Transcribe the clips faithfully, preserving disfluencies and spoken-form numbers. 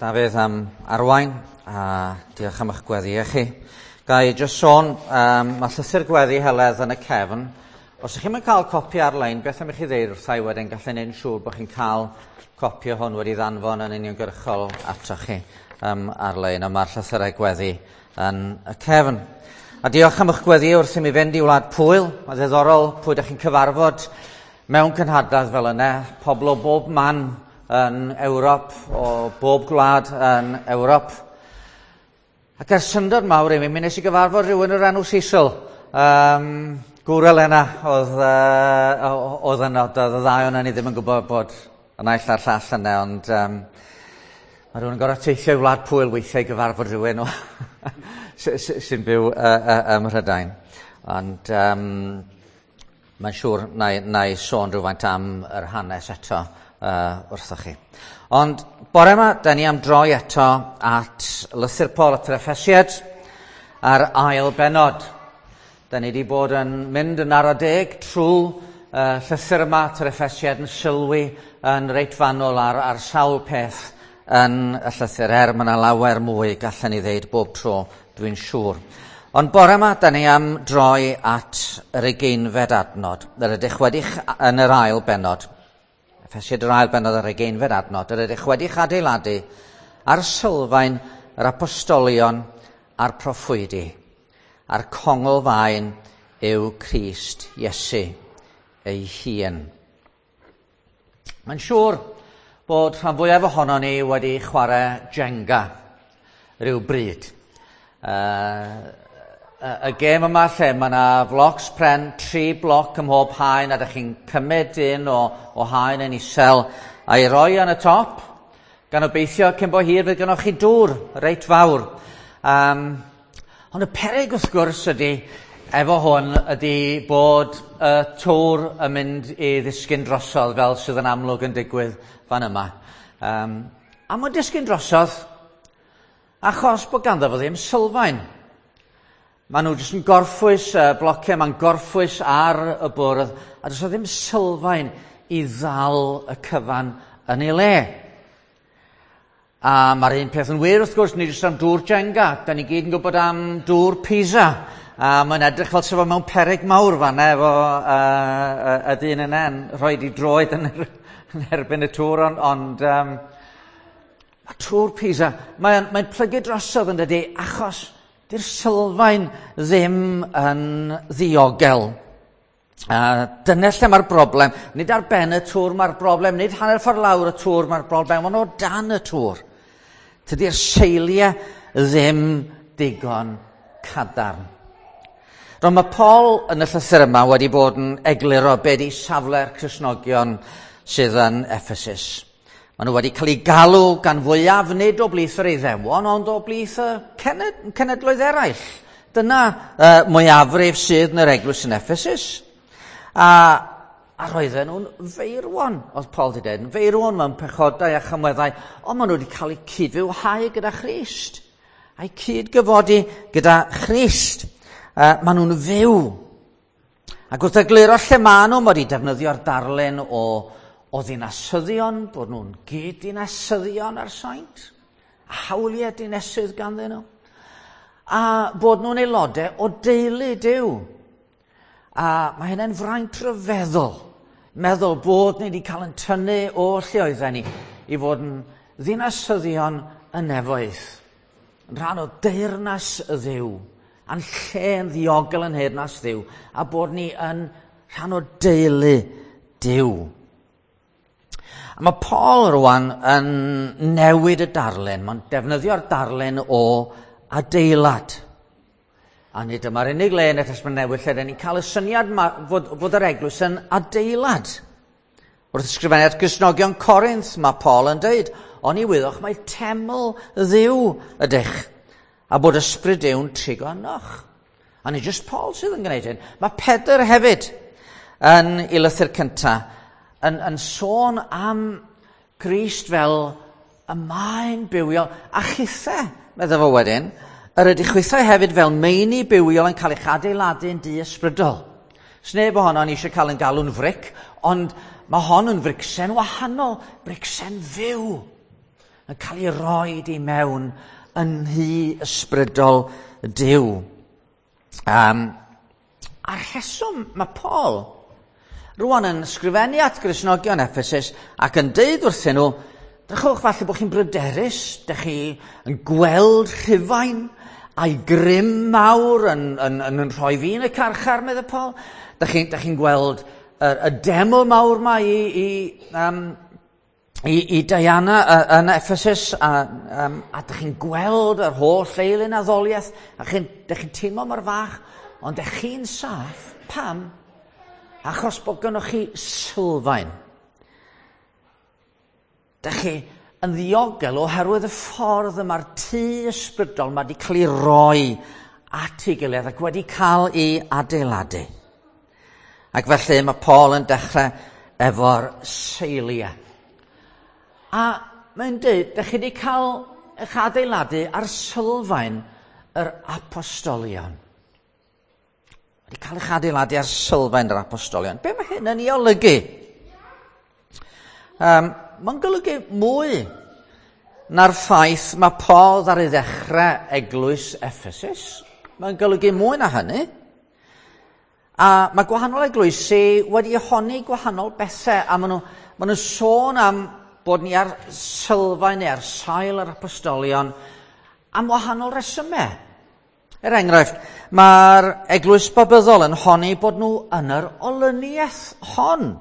Dafydd am arwain, a diolch am eich gweddi chi. Ga i jyst sôn, um, mae llythyr gweddi Heledd yn y cefn. Os ydych chi'n cael copi ar-lein, beth am i chi ddeud wrtha i wedyn, gallai neud yn siŵr bod chi'n cael copi o hwn wedi ddanfon yn uniongyrchol atoch chi um, ar-lein, a mae'r llythyrau gweddi yn y cefn. A diolch am eich gweddi wrth i mi fynd i Wlad Pwyl. Mae'n ddiddorol pwy ydych chi'n cyfarfod mewn cynhadledd fel yna, pobl o bob man yn Ewrop, o bob gwlad yn Ewrop. Ac er syndod mawr i mi, mi nes i gyfarfod rhywun o'r enw Cecil. Um, gŵr Elena oedd, uh, oedd yno, doedd y ddau ohonon ni ddim yn gwybod bod y naill a'r llall yna, ond um, mae rhywun yn gorfod teithio i Wlad Pwyl weithiau i gyfarfod rhywun sy'n byw uh, uh, ym Mhrydain. Ond um, mae'n siŵr na i, na i sôn rhywfaint am yr hanes eto uh, wrthoch chi. Ond bore yma, da ni am droi eto at lythyr Paul at yr Effesiaid a'r ail bennod. Da ni wedi bod yn mynd yn ara deg trwy uh, llythyr yma at yr Effesiaid yn sylwi yn reit fanwl ar, ar sawl peth yn y llythyr, er mae yna lawer mwy gallen ni ddeud bob tro, dwi'n siŵr. Ond bore yma, da ni am droi at yr ugeinfed adnod, yr ydych wedi yn yr ail bennod. Effesiaid yr ail bennod yr ugeinfed adnod, yr ydych wedi'ch adeiladu ar sylfaen yr apostolion a'r proffwydi, a'r conglfaen yw Crist Iesu ei hun. Mae'n siŵr bod rhan fwyaf ohonon ni wedi chwarae Jenga rhyw bryd. Uh, y gêm yma lle mae yna flocs pren, tri bloc ym mhob haen, a ydych chi'n cymryd un o, o haen yn isel a'i roi yn y top, gan obeithio cyn bo hir fydd gennoch chi dŵr reit fawr. Um, ond y peryg wrth gwrs ydy, efo hwn, ydy bod y tŵr yn mynd i ddisgyn drosodd fel sydd yn amlwg yn digwydd fan yma. Um, a mae'n disgyn drosodd achos bod ganddo fo ddim sylfaen. Maen nhw jyst yn gorffwys, y blociau ma'n gorffwys ar y bwrdd, a does ddim sylfaen i ddal y cyfan yn ei le. A mae'r un peth yn wir wrth gwrs, nid jyst am dŵr Jenga, da ni gyd yn gwybod am dŵr Pisa, a mae'n edrych fel sef o mewn peryg mawr fanna efo uh, y dyn yna yn rhoi ei droed yn, yn erbyn y tŵr, ond, ond um, mae tŵr Pisa, mae'n mae plygu drosodd yn dydi, achos dy'r sylfaen ddim yn ddiogel. Uh, dyna lle mae'r broblem. Nid ar ben y tŵr mae'r broblem, nid hanner ffordd lawr y tŵr mae'r broblem, ond o dan y tŵr. Tydi'r seiliau ddim digon cadarn. Roedd mae Paul yn y llythyr yma wedi bod yn egluro be di safle'r Cristnogion sydd yn Ephesus. Maen nhw wedi cael eu galw gan fwyaf nid o blith yr Iddewon, ond o blith y cenedloedd eraill. Dyna uh, mwyafrif sydd yn yr eglwys yn Ephesus. A, a roedden nhw'n feirwon, oedd Paul wedi dweud, yn feirwon mewn pechodau a chamweddau, ond maen nhw wedi cael eu cydfywhau gyda Christ, a'i cydgyfodi gyda Christ. Uh, maen nhw'n fyw. Ac wrth egluro lle maen nhw, mae wedi defnyddio'r darlun o o ddinasyddion, bod nhw'n gyd-dinasyddion ar saint, a hawliau dinesydd ganddyn nhw, a bod nhw'n aelodau o deulu Duw. A mae hynny'n fraint rhyfeddol, meddwl bod ni wedi cael yn tynnu o lle oedden ni i fod yn ddinasyddion y nefoedd, yn rhan o deyrnas y Dduw, a'n lle yn ddiogel yn nheyrnas Dduw, a bod ni yn rhan o deulu Duw. A mae Paul rwan yn newid y darlun. Mae'n defnyddio'r darlun o adeilad. A nid yma'r unig le yn y Testament Newydd lle dyn ni'n cael y syniad ma, fod, fod yr eglwys yn adeilad. Wrth ysgrifennu at Gristnogion Corinth, mae Paul yn dweud, oni wyddoch mae teml Dduw ydych, a bod ysbryd Duw'n trigo ynoch. A nid jyst Paul sydd yn gwneud hyn. Mae Pedr hefyd yn ei lythyr cyntaf yn, yn sôn am Grist fel y maen bywiol, a chithau, meddai fo wedyn, yr ydych chwithau hefyd fel meini bywiol yn cael eich adeiladu yn dŷ ysbrydol. Sneb ohono ni eisiau cael yn galw'n fric, ond mae hon yn fricsen wahanol, bricsen fyw. yn cael ei roed i mewn yn nhŷ ysbrydol Duw. Um, a'r rheswm mae Paul rwan yn ysgrifennu at Gristnogion Ephesus ac yn deud wrthyn nhw, drychwch, falle bod chi'n bryderus, dych chi yn gweld Rhufain a'i grym mawr yn, yn, yn, yn rhoi fi yn y carchar, meddai Paul. Dych chi'n chi gweld y, y deml mawr ma i, i, um, i, i Diana yn Ephesus, a, um, a dych chi'n gweld yr holl eilun addoliaeth, a chi'n chi teimlo mor fach, ond dych chi'n saff. Pam? Achos bod gynnoch chi sylfaen. Dych chi yn ddiogel oherwydd y ffordd y mae'r tŷ ysbrydol mae wedi cael ei roi at ei gilydd ac wedi cael ei adeiladu. Ac felly mae Paul yn dechrau efo'r seiliau. A mae'n dweud, dych chi wedi cael eich adeiladu ar sylfaen yr apostolion. Wedi cael eich adeiladu ar sylfaen yr apostolion. Be mae hyn yn ei olygu? Um, mae'n golygu mwy na'r ffaith mae Paul ar ei ddechrau eglwys Ephesus. Mae'n golygu mwy na hynny. A mae gwahanol eglwysi wedi honni gwahanol bethau, a maen nhw, maen nhw sôn am bod ni ar sylfaen neu ar sail yr apostolion am wahanol resymau. Er enghraifft, mae'r eglwys Babyddol yn honni bod nhw yn yr olyniaeth hon.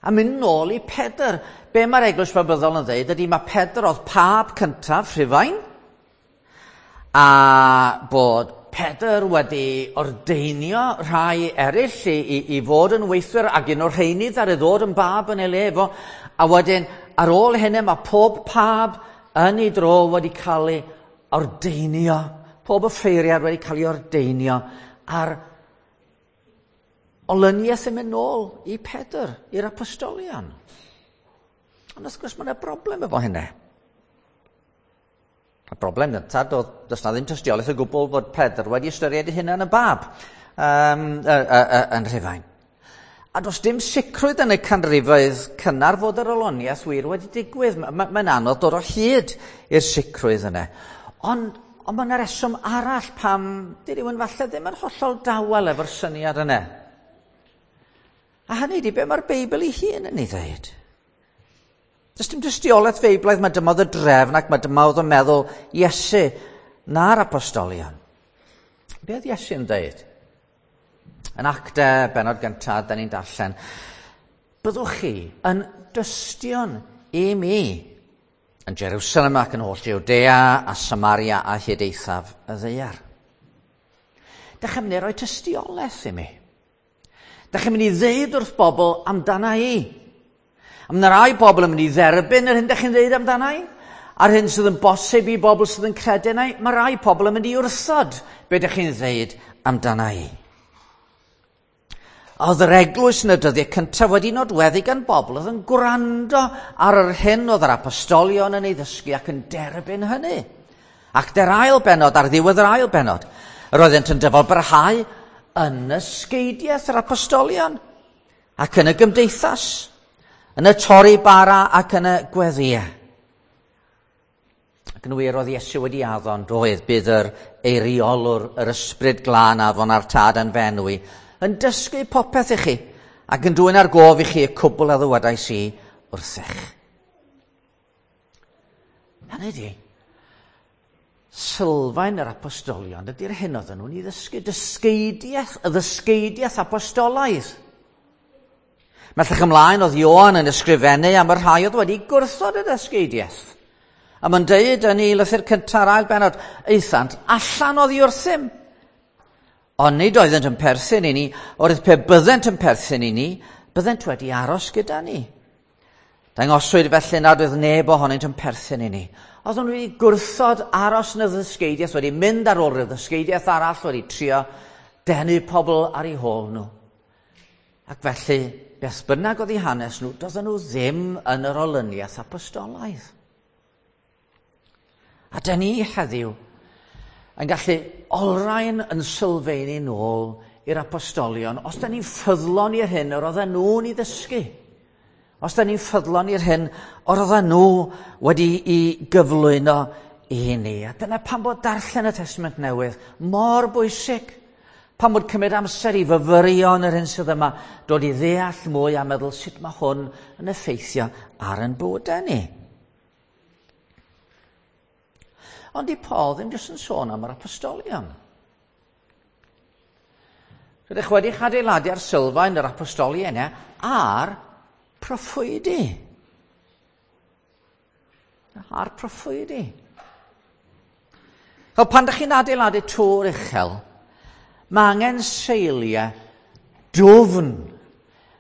A mynd nôl i Pedr. Be mae'r eglwys Babyddol yn dweud ydy mae Pedr oedd pab cyntaf Rhufain, a bod Pedr wedi ordeinio rhai eraill i, i, i fod yn weithwyr, ac un o'r rheiny ddaru ddod yn bab yn ei le fo. A wedyn, ar ôl hynny, mae pob pab yn ei dro wedi cael ei ordeinio. Pob offeiriad wedi cael ei ordeinio a'r olyniaeth yn mynd nôl i Pedr, i'r apostolion. Ond wrth gwrs mae yna broblem efo hynny. Y broblem gyntaf, does na ddim tystiolaeth o gwbl fod Pedr wedi ystyried ei hunan yn bab um, y, y, y, yn Rhufain. A does dim sicrwydd yn y canrifoedd cynnar fod yr olyniaeth wir wedi digwydd. Mae'n ma, anodd dod o hyd i'r sicrwydd yna. Ond, ond mae yna reswm arall pam di rhywun falle ddim yn hollol dawel efo'r syniad yna. A hynny di be mae'r Beibl ei hun yn ei ddweud. Does dim dystiolaeth feiblaidd mae dyma oedd y drefn ac mae dyma oedd yn meddwl Iesu na'r apostolion. Be oedd Iesu'n dweud? Yn Actau, benod gyntaf, da ni'n darllen, byddwch chi yn dystion i mi yn Jerusalem ac yn holl Jwdea a Samaria a hyd eithaf y ddaear. Dych chi'n mynd i roi tystiolaeth i mi. Dych chi'n mynd i ddeud wrth bobl amdana i. A mae yna rai bobl yn mynd i dderbyn yr hyn dych chi'n ddeud amdana i, a'r hyn sydd yn bosib i bobl sydd yn credu yna i. Mae rai pobl yn mynd i wrthod be dych chi'n ddeud amdana i. Oedd yr eglwys yn y dyddiau cyntaf wedi nodweddu gan bobl oedd yn gwrando ar yr hyn oedd yr apostolion yn ei ddysgu ac yn derbyn hynny. Ac der ail benod, ar ddiwedd yr ail benod, yr oeddent yn dyfal barhau yn ysgeidiaeth yr apostolion ac yn y gymdeithas, yn y torri bara ac yn y gweddïau. Ac yn wir oedd Iesu wedi addo yn doedd, bydd yr eiriolwr, yr ysbryd glân afon a'r tad yn fenwi, yn dysgu popeth i chi ac yn dwyn ar gof i chi y cwbl a ddywedais i wrthych. Hynny ydi, sylfaen yr apostolion ydy'r hyn oedden nhw'n ei ddysgu, dysgeidiaeth, y ddysgeidiaeth apostolaidd. Mellach ymlaen oedd Ioan yn ysgrifennu am y rhai oedd wedi gwrthod y ddysgeidiaeth. A mae'n deud yn ei lythyr cyntaf a'r ail benod, aethant allan oddi wrthym. Ond nid oeddent yn perthyn i ni, oherwydd pe byddent yn perthyn i ni, byddent wedi aros gyda ni. Dangoswyd felly nad oedd neb ohonynt yn perthyn i ni. Oedden nhw wedi gwrthod aros yn y ddysgeidiaeth, wedi mynd ar ôl y ddysgeidiaeth arall, wedi trio denu pobl ar eu hôl nhw. Ac felly, beth bynnag oedd eu hanes nhw, doedden nhw ddim yn yr olyniaeth apostolaidd. A dyn ni heddiw yn gallu olrhain yn sylfaenu nôl i'r apostolion, os dyn ni'n ffyddlon i'r hyn yr oedden nhw'n ei ddysgu. Os da ni'n ffyddlon i'r hyn oedden nhw wedi i gyflwyno i ni. A dyna pam bod darllen y Testament Newydd mor bwysig. Pam bod cymryd amser i fyfyrio yn yr hyn sydd yma, dod i ddeall mwy a meddwl sut mae hwn yn effeithio ar ein bywydau ni. Ond di Paul ddim jyst yn sôn am yr apostolion. Rydych wedi'ch adeiladu ar sylfaen yr apostolion a'r proffwydi. A'r proffwydi. Fel pan ydych chi'n adeiladu tŵr uchel, mae angen seiliau dwfn.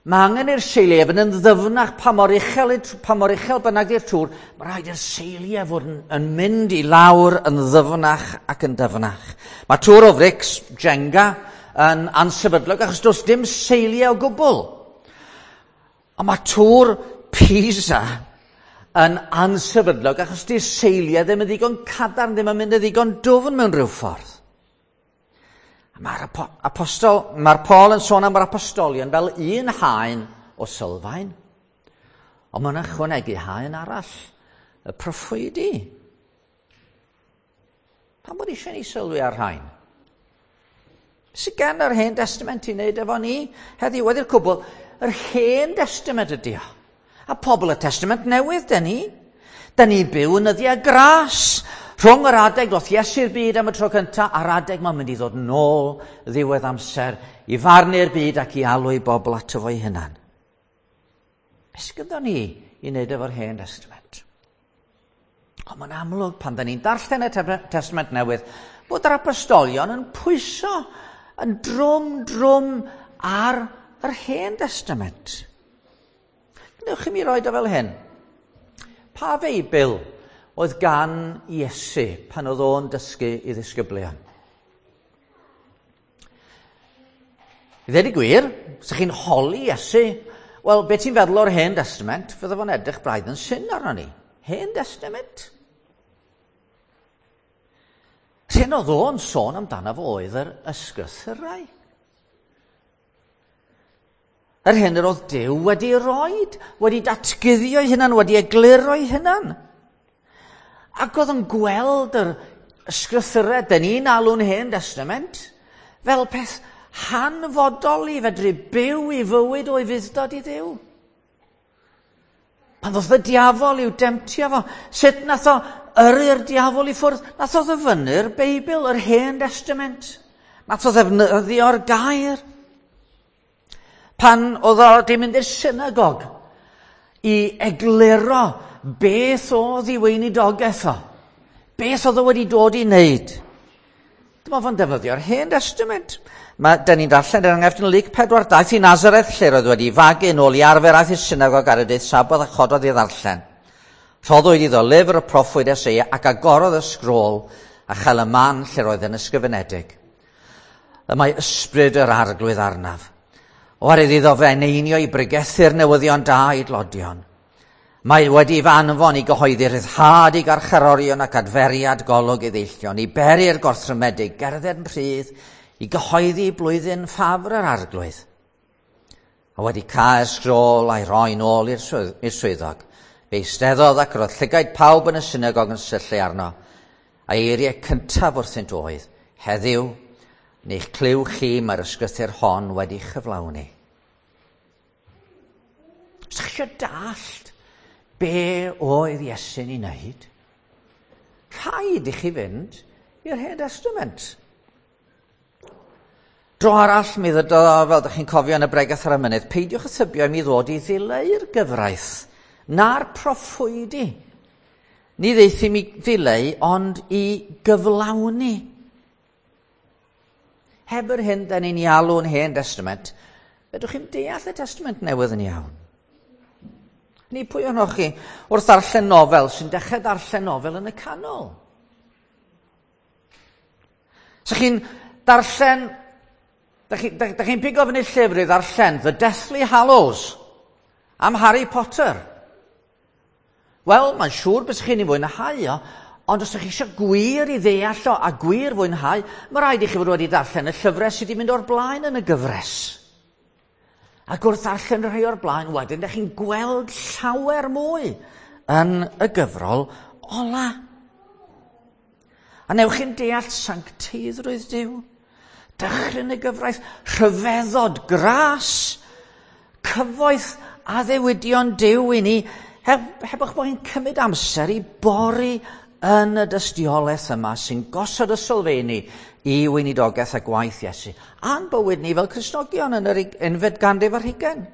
Mae angen i'r seiliau fynd yn ddyfnach pa mor uchel, pa mor uchel bynnag i'r tŵr. Mae rhaid i'r seiliau fod yn, yn mynd i lawr yn ddyfnach ac yn dyfnach. Mae tŵr o frics, Jenga, yn ansefydlog achos does dim seiliau o gwbl. Ond mae tŵr Pisa yn ansefydlog achos di'r seiliau ddim yn ddigon cadarn, ddim yn mynd yn ddigon dwfn mewn rhyw ffordd. Mae'r apostol, mae'r Paul yn sôn am yr apostolion fel un haen o sylfaen, ond mae'n ychwanegu haen arall, y proffwydi. Pam bod eisiau ni sylwi ar rhain? Sydd gen yr Hen Testament i wneud efo ni heddiw? Wedi'r cwbl, yr Hen Testament ydy o. A pobl y Testament Newydd, dyn ni. Dyn ni byw yn nyddiau gras. Rhwng yr adeg ddoth Iesu'r byd am y tro cyntaf, a'r adeg mae'n mynd i ddod nôl ddiwedd amser i farnu'r byd ac i alw i bobl ato fo'i hunan. Beth gyda ni i wneud efo'r Hen Testament? Ond mae'n amlwg pan dyn ni'n darllen y Testament Newydd bod yr apostolion yn pwyso yn drwm drwm ar yr Hen Testament. Gwnewch i mi roed o fel hyn. Pa Feibl oedd gan Iesu pan oedd o'n dysgu i ddisgyblion? I ddweud y gwir, os ydych chi'n holi Iesu, wel, beth ti'n feddwl o'r Hen Testament? Fydde fo'n edrych braidd yn syn arno ni. Hen Testament? Yr hyn oedd o'n sôn amdano fo oedd yr ysgrythurau. Yr hyn yr oedd Duw wedi roed, wedi datguddio ei hunan, wedi egluro ei hunan. Ac oedd yn gweld yr ysgrythurau, dyn ni'n alw'n Hen Testament, fel peth hanfodol i fedru byw i fywyd o'i fudd-dod i Dduw. Pan ddoth y diafol i'w demtio fo, sut nath o yrru'r diafol i ffwrdd? Nath o ddyfynnu'r Beibl, yr Hen Testament. Nath o ddefnyddio'r gair. Pan oedd o wedi mynd i'r synagog i egluro beth oedd ei weinidogaeth o, beth oedd o wedi dod i wneud. Dyma fo'n defnyddio'r Hen Testament. Mae, dyn ni'n darllen er enghraifft yn Luc pedwar, daeth i Nazareth lle roedd wedi fagu yn ôl i arfer, aeth i'r synagog ar y dydd Saboth a chododd i ddarllen. Rhoddwyd iddo lyfr y proffwyd Eseia ac agorodd y sgrôl a chael y man lle roedd yn ysgrifenedig. Y mae ysbryd yr Arglwydd arnaf. Oherwydd iddo fe eneinio i bregethu'r newyddion da i dlodion. Mae wedi fy anfon i gyhoeddi rhyddhad i garcharorion ac adferiad golwg i ddeillion, i beri'r gorthrymedig, gerdded yn rhydd, i gyhoeddi blwyddyn ffafr yr Arglwydd. A wedi cael sgrôl a'i roi nôl i'r swyddog, fe eisteddodd ac roedd llygaid pawb yn y synagog yn syllu arno, a eiriau cyntaf wrthynt oedd, heddiw, neu'ch clyw chi mae'r ysgrythur hon wedi chyflawni. Os ydych chi eisiau dallt be oedd Iesu'n ei wneud, rhaid i chi fynd i'r Hen Testament. Dro arall mi ddydodd o, fel ydych chi'n cofio yn y bregath ar y mynydd, peidiwch â thybio i mi ddod i ddileu'r gyfraith, na'r proffwydi. Ni ddeith i mi ddileu, ond i gyflawni. Heb yr hyn da ni'n ei alw'n Hen Testament, fedrwch chi'n deall y Testament Newydd yn iawn. Ni pwy ohonoch chi wrth ddarllen nofel sy'n dechrau darllen nofel yn y canol? So chi'n darllen, da chi'n da, da chi pigo fyny llyfr i ddarllen The Deathly Hallows am Harry Potter. Wel, mae'n siŵr bys chi'n ei fwynhau o, ond os ydych chi eisiau gwir i ddeall o a gwir fwynhau, mae rhaid i chi fod wedi darllen y llyfrau sydd wedi mynd o'r blaen yn y gyfres. Ac wrth ddarllen rhai o'r blaen wedyn, ydych chi'n gweld llawer mwy yn y gyfrol ola. A newch chi'n deall sancteiddrwydd Duw, dychryn y gyfraith, rhyfeddod, gras, cyfoeth addewidion Duw i ni, heb, heb eich bod chi'n cymryd amser i bori yn y dystiolaeth yma sy'n gosod y sylfeini i weinidogaeth a gwaith Iesu, a'n bywyd ni fel Cristnogion yn yr unfed ganrif ar hugain.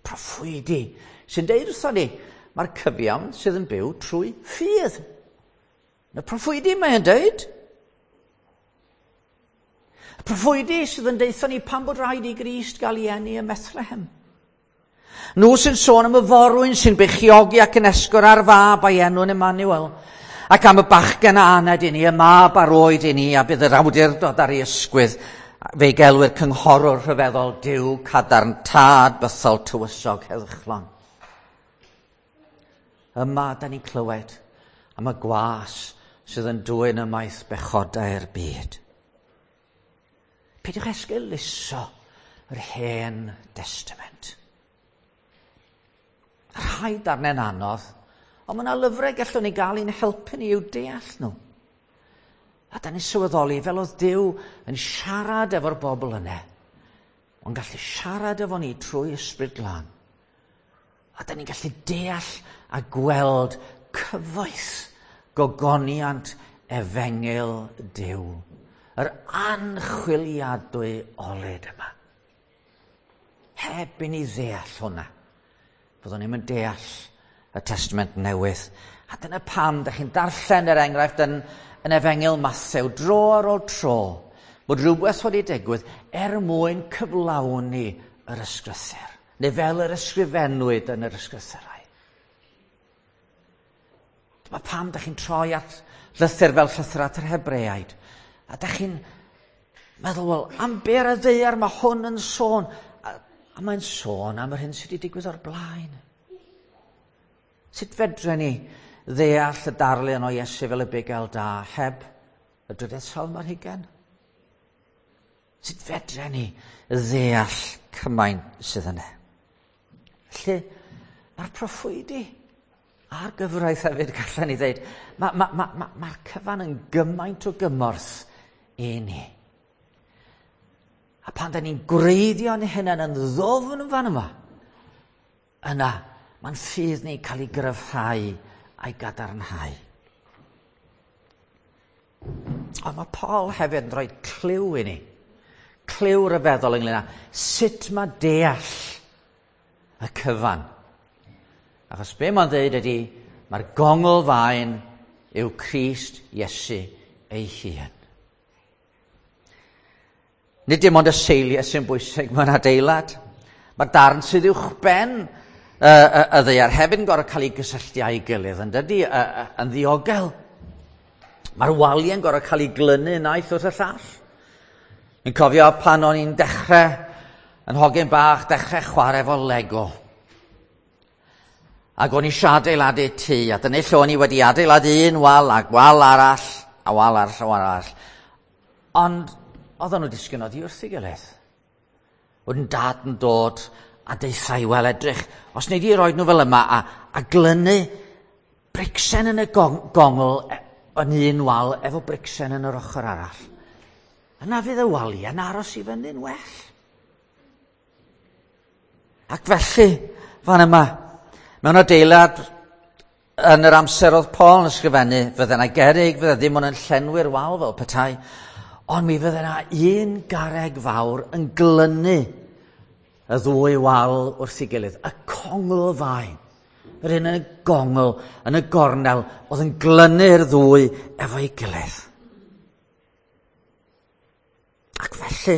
Proffwydi sy'n deud wrthon ni, mae'r cyfiawn sydd yn byw trwy ffydd. Y proffwydi mae'n deud. Y proffwydi sydd yn deutha ni pam bod rhaid i Grist gael ei eni ym Methlehem. Nhw sy'n sôn am y forwyn sy'n beichiogi ac yn esgor ar fab a'i enw'n Emmanuel, ac am y bachgen a aned i ni, y mab a roed i ni, a bydd yr awdurdod ar ei ysgwydd. Fe'i gelwir cynghorwr rhyfeddol, Duw cadarn, tad bythol, tywysog heddychlon. Yma da ni'n clywed am y gwas sydd yn dwyn ymaith bechodau'r byd. Peidiwch esgeuluso yr Hen Destament. Rhai darnau'n anodd, ond mae yna lyfrau gallwn ni gael i'n helpu ni i'w deall nhw. A da ni'n sylweddoli fel oedd Duw yn siarad efo'r bobl yna, ond gallu siarad efo ni trwy Ysbryd Glân. A da ni'n gallu deall a gweld cyfoeth gogoniant efengyl Duw, yr anchwiliadwy olud yma. Heb i ni ddeall hwnna, byddwn ni'n mynd deall y Testament Newydd. A dyna pam da chi'n darllen er enghraifft yn, yn Efengyl Mathew dro ar ôl tro, bod rhywbeth wedi digwydd er mwyn cyflawni yr ysgrythur, neu fel yr ysgrifennwyd yn yr ysgrythurau. Dyma pam da chi'n troi at lythyr fel llythyr at yr Hebreaid, a da chi'n meddwl, wel, am be ar y ddaear mae hwn yn sôn? A, a mae'n sôn am yr hyn sydd wedi digwydd o'r blaen. Sut fedren ni ddeall y darlun o Iesu fel y bugail da heb y drydedd salm ar hugain? Sut fedren ni ddeall cymaint sydd yna? Felly, mae'r proffwydi a'r gyfraith hefyd, gallen ni ddeud, mae'r ma, ma, ma, ma cyfan yn gymaint o gymorth i ni. A pan da ni'n gwreiddio'n hunain yn ddofn yn fan yma, yna, mae'n ffydd ni'n cael ei gryfhau a'i gadarnhau. Ond mae Paul hefyd yn rhoi cliw i ni. Cliw ryfeddol ynglyn â sut mae deall y cyfan. Achos be mae'n dweud ydy, mae'r gongl faen yw Crist Iesu ei hun. Nid dim ond y seiliau sy'n bwysig mewn adeilad. Mae'r darn sydd uwchben y, y, y ddaear hefyd yn gorfod cael ei gysylltu â'i gilydd, yn dydy, y, y, yn ddiogel. Mae'r waliau'n gorfod cael ei glynu naill wrth y llall. Ni'n cofio pan o'n i'n dechrau, yn hogyn bach, dechrau chwarae efo Lego. Ac o'n i eisiau adeiladu tŷ, a dyna lle o'n i wedi adeiladu un wal, ac wal arall, a wal arall, a wal arall. Ond oedden nhw disgyn oddi wrth ei gilydd. Wedyn dad yn dod a deutha i, wel edrych, os nei di roed nhw fel yma a, a glynu bricsen yn y gong, gongl yn un wal efo bricsen yn yr ochr arall. Yna fydd y waliau yn aros i fyny'n well. Ac felly, fan yma, mewn adeilad yn yr amser oedd Paul yn ysgrifennu, fydde yna gerrig, fydde ddim ond yn llenwi'r wal fel petai, ond mi fydde yna un garreg fawr yn glynu y ddwy wal wrth ei gilydd, y congl faen. Yr un yn y gongl, yn y gornel, oedd yn glynu'r ddwy efo'i gilydd. Ac felly,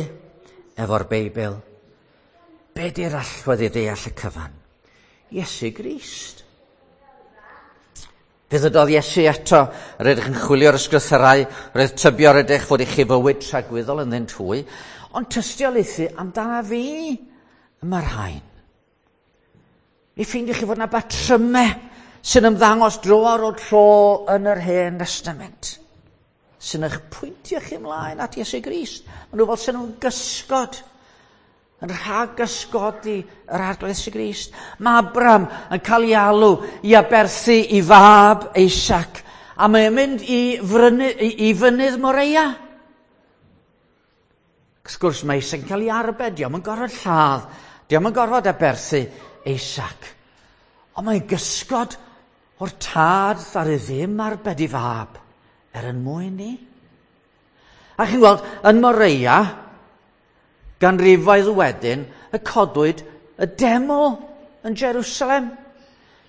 efo'r Beibl, be di'r allwedd i ddeall y cyfan? Iesu Grist. Fe ddydodd Iesu eto, rydych yn chwilio'r ysgrythyrau, roedd tybio rydych fod i chi fywyd tragwyddol ynddynt hwy, ond tystiolaethu amdana fi y mae'r rhain. Mi ffeindiwch chi fod yna batrymau sy'n ymddangos dro ar ôl tro yn yr Hen Testament, sy'n eich pwyntio chi ymlaen at Iesu Grist. Maen nhw fel sy'n nhw'n gysgod. yn rhag ysgodi yr Arglwydd Iesu Grist. Mae Abraham yn cael ei alw i aberthu ei fab Isaac, a mae'n mynd i, frynu, i, i fynydd Moreia. Wrth gwrs, mae Isaac yn cael ei arbed, dio'm yn gorfod lladd, dio'm yn gorfod aberthu Isaac. Ond mae'n gysgod o'r tad ddaru ddim arbed ei fab er ein mwyn ni. A chi'n gweld, yn Moreia, ganrifoedd wedyn, y codwyd y deml yn Jerusalem,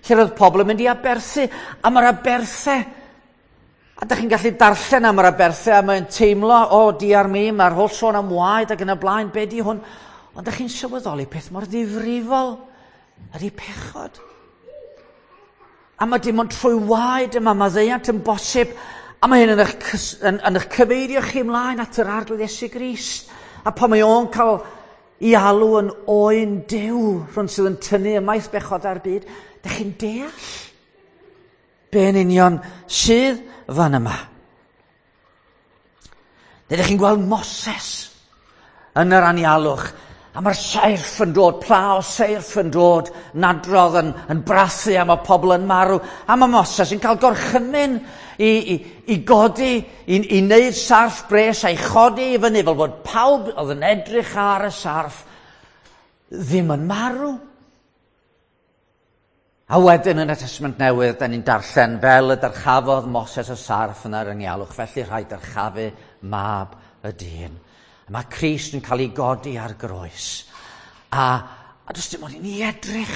lle roedd pobl yn mynd i aberthu, a mae'r aberthau, a da chi'n gallu darllen am yr aberthau, a mae'n teimlo, o, oh, diar mi, mae'r holl sôn am waed ac yn y blaen, be di hwn? Ond da chi'n sylweddoli peth mor ddifrifol ydy pechod. A mae dim ond trwy waed yma maddeuant yn bosib, a mae hyn yn eich, yn, yn eich cyfeirio chi ymlaen at yr Arglwydd Iesu Grist. A pan mae o'n cael ei alw yn oen Duw, rhywun sydd yn tynnu ymaith bechod ar byd, da chi'n deall be yn union sydd fan yma. Neu chi'n gweld Moses yn yr anialwch, a mae'r seirff yn dod, pla o seirff yn dod, nadrodd yn, yn brathu a mae pobl yn marw. A mae Moses yn cael gorchymyn i, i, i godi, i, i wneud sarff bres a'i chodi i fyny fel bod pawb oedd yn edrych ar y sarff ddim yn marw. A wedyn yn y Testament Newydd, da ni'n darllen fel y dyrchafodd Moses y sarff yn yr anialwch, felly rhaid dyrchafu mab y dyn. A mae Crist yn cael ei godi ar groes. A, a does dim ond i ni edrych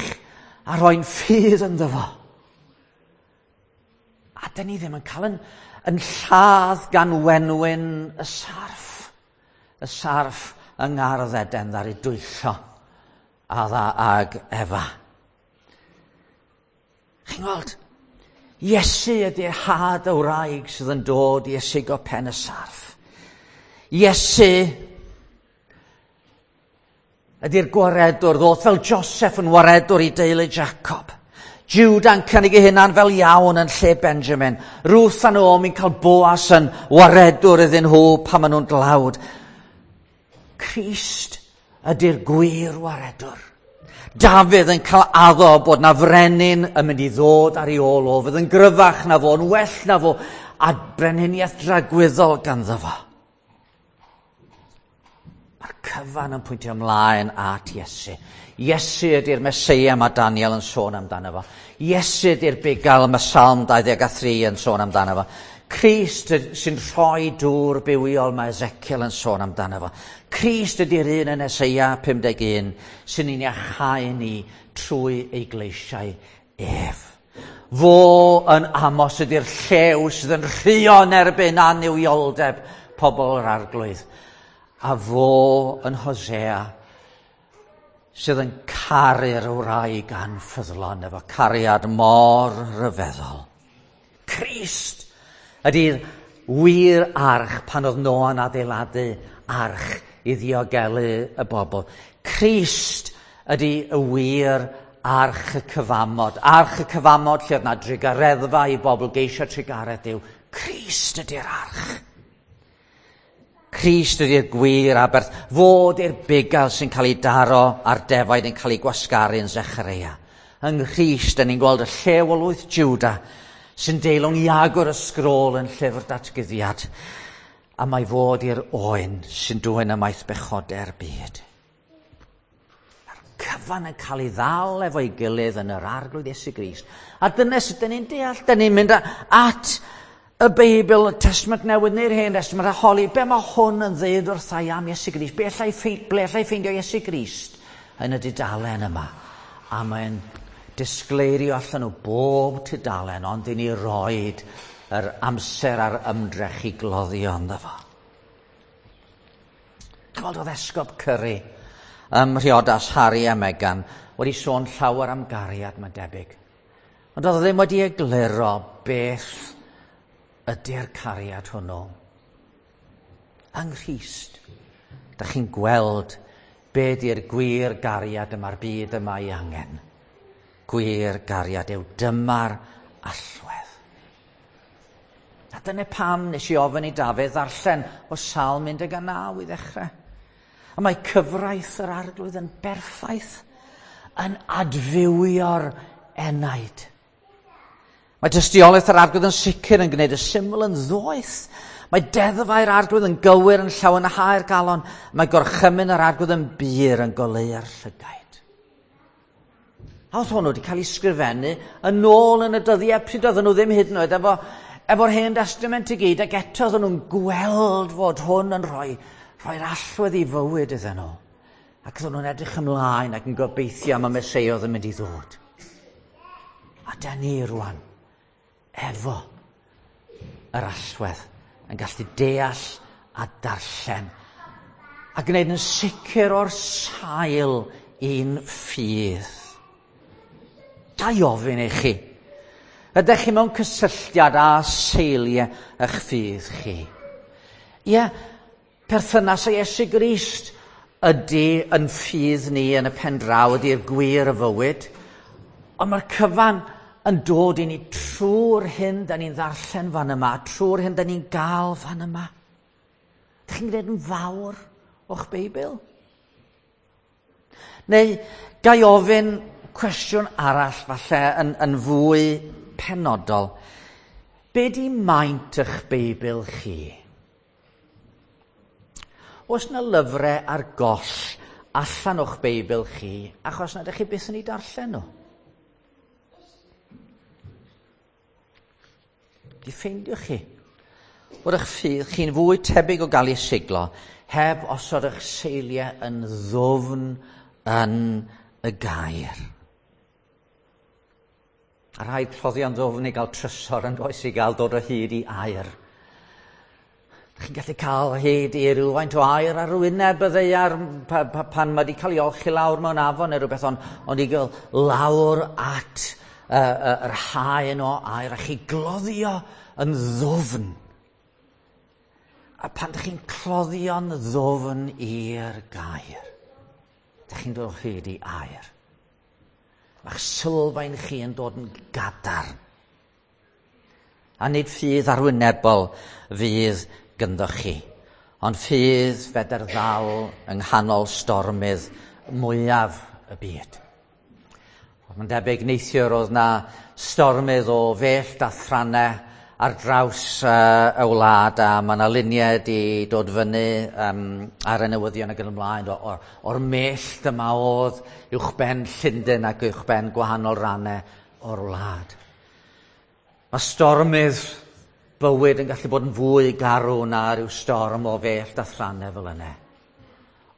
a roi'n ffydd ynddo fo. A dyn ni ddim yn cael yn, yn lladd gan wenwyn y sarff. Y sarff yng Ngardd Eden ddaru dwyllo Adda ag Efa. Chi'n gweld? Iesu ydy'r had y wraig sydd yn dod i ysigo pen y sarff. Iesu ydy'r gwaredwr ddoth fel Joseph yn waredwr i deulu Jacob. Juda'n cynnig ei hunan fel iawn yn lle Benjamin. Ruth a Naomi'n cael Boas yn waredwr iddyn nhw pan maen nhw'n dlawd. Crist ydy'r gwir waredwr. Dafydd yn cael addo bod na frenin yn mynd i ddod ar ei ôl o, fydd yn gryfach na fo, yn well na fo, a brenhiniaeth dragwyddol ganddo fo. Mae'r cyfan yn pwyntio ymlaen at Iesu. Iesu ydy'r Meseia mae Daniel yn sôn amdano fo. Iesu ydy'r bugail mae Salm dau ddeg a thri yn sôn amdano fo. Crist sy'n rhoi dŵr bywiol mae Ezekiel yn sôn amdano fo. Crist ydy'r un yn Eseia pum deg un sy'n ein iachau ni trwy ei gleisiau ef. Fo yn Amos ydy'r llew sydd yn rhuo yn erbyn annuwioldeb pobl yr Arglwydd. A fo yn Hosea sydd yn caru'r wraig anffyddlon efo cariad mor ryfeddol. Crist ydy'r wir arch pan oedd Noa'n adeiladu arch i ddiogelu y bobl. Crist ydy y wir arch y cyfamod. Arch y cyfamod lle oedd na drugareddfa i bobl geisio trugaredd Duw. Crist ydy'r arch. Crist ydy'r gwir aberth. Fo ydy'r bugail sy'n cael ei daro a'r defaid yn cael ei gwasgaru yn Zechareia. Yng Nghrist, dyn ni'n gweld y llew o lwyth Juda sy'n deilwng i agor y sgrôl yn llyfr datguddiad. A mae fod i'r oen sy'n dwyn ymaith bechodau'r byd. Mae'r cyfan yn cael ei ddal efo'i gilydd yn yr Arglwydd Iesu Grist. A dyna sut dyn ni'n deall, dyn ni'n mynd at y Beibl, y Testament Newydd neu'r Hen Testament a holi, be mae hwn yn ddeud wrtha i am Iesu Grist? Be allai ffein-, ble allai ffeindio Iesu Grist yn y dudalen yma? A mae'n disgleirio allan o bob tudalen, ond i ni roed yr amser a'r ymdrech i gloddio ynddo fo. Gweld oedd Esgob Curry ym Mhriodas Harry a Meghan wedi sôn llawer am gariad, mae'n debyg. Ond oedd o ddim wedi egluro beth ydy'r cariad hwnnw. Yng Nghrist, dach chi'n gweld be di'r gwir gariad yma'r byd yma ei angen. Gwir gariad yw dyma'r allwedd. A dyna pam nes i ofyn i Dafydd ddarllen o Salm un deg naw i ddechrau. A mae cyfraith yr Arglwydd yn berffaith, yn adfywio'r enaid. Mae tystiolaeth yr Arglwydd yn sicr yn gwneud y syml yn ddoeth. Mae deddfau'r Arglwydd yn gywir yn llawenhau'r galon. Mae gorchymyn yr Arglwydd yn bur yn goleuo'r llygaid. A oedd hwnnw wedi cael ei sgrifennu yn ôl yn y dyddiau pryd oedden nhw ddim hyd yn oed efo, efo'r Hen Destament i gyd, ac eto oedden nhw'n gweld fod hwn yn rhoi, rhoi'r allwedd i fywyd iddyn nhw. Ac oedden nhw'n edrych ymlaen ac yn gobeithio am y Meseia oedd yn mynd i ddod. A da ni rwan, efo yr allwedd, yn gallu deall a darllen a gwneud yn sicr o'r sail i'n ffydd. Ga i ofyn i chi, ydych chi mewn cysylltiad â seiliau eich ffydd chi? Ie, perthynas â Iesu Grist ydy yn ffydd ni yn y pen draw, ydy'r gwir y fywyd, ond mae'r cyfan yn dod i ni trwy'r hyn da ni'n ddarllen fan yma, trwy'r hyn da ni'n gael fan yma. Dych chi'n gwneud yn fawr o'ch Beibl? Neu ga i ofyn cwestiwn arall falle yn, yn fwy penodol. Be di maint eich Beibl chi? Oes na lyfrau ar goll allan o'ch Beibl chi achos nad ydych chi byth yn ei darllen nhw? Di ffeindiwch chi bod eich ffydd chi'n fwy tebyg o gael ei siglo heb osod eich seiliau yn ddwfn yn y gair. A rhaid cloddio'n ddwfn i gael trysor yn does, i gael dod o hyd i air. Chi'n gallu cael hyd i rywfaint o air ar wyneb y ddaear pa, pa, pan mae wedi cael ei olchi lawr mewn afon neu rhywbeth, ond, ond i gael lawr at uh, uh, yr haen o air a chi gloddio yn ddwfn. A pan ydych chi'n cloddio'n ddwfn i'r gair, ydych chi'n dod o hyd i air. Mae'ch sylfaen chi yn dod yn gadarn. A nid ffydd arwynebol fydd gynddo chi, ond ffydd fedr ddal yng nghanol stormydd mwyaf y byd. Mae'n debyg neithiwr oedd na stormydd o fellt a thrannau ar draws uh, y wlad, a mae yna luniau wedi dod fyny um, ar y newyddion ac yn ymlaen o'r, o'r mellt yma oedd uwchben Llundain ac uwchben gwahanol rannau o'r wlad. Mae stormydd bywyd yn gallu bod yn fwy garw na rhyw storm o fellt a thrannau fel yna.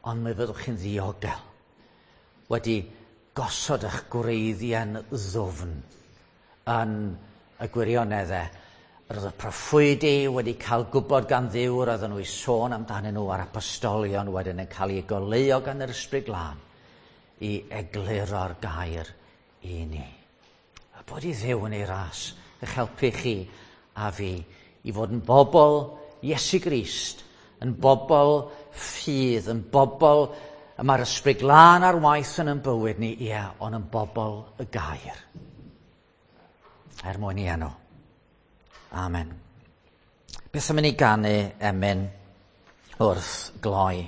Ond mi fyddwch chi'n ddiogel wedi gosod eich gwreiddiau'n ddwfn yn y gwirioneddau. Roedd y proffwydi wedi cael gwybod gan Dduw, roedden nhw i sôn amdanyn nhw, a'r apostolion wedyn yn cael eu goleuo gan yr Ysbryd Glân i egluro'r gair i ni. A bod i Dduw yn ei ras eich helpu chi a fi i fod yn bobl Iesu Grist, yn bobl ffydd, yn bobl y mae'r Ysbryd Glân ar waith yn ein bywyd ni, ie, ond yn bobl y gair. Er mwyn i enw. Amen. Beth am i ni ganu emyn wrth gloi?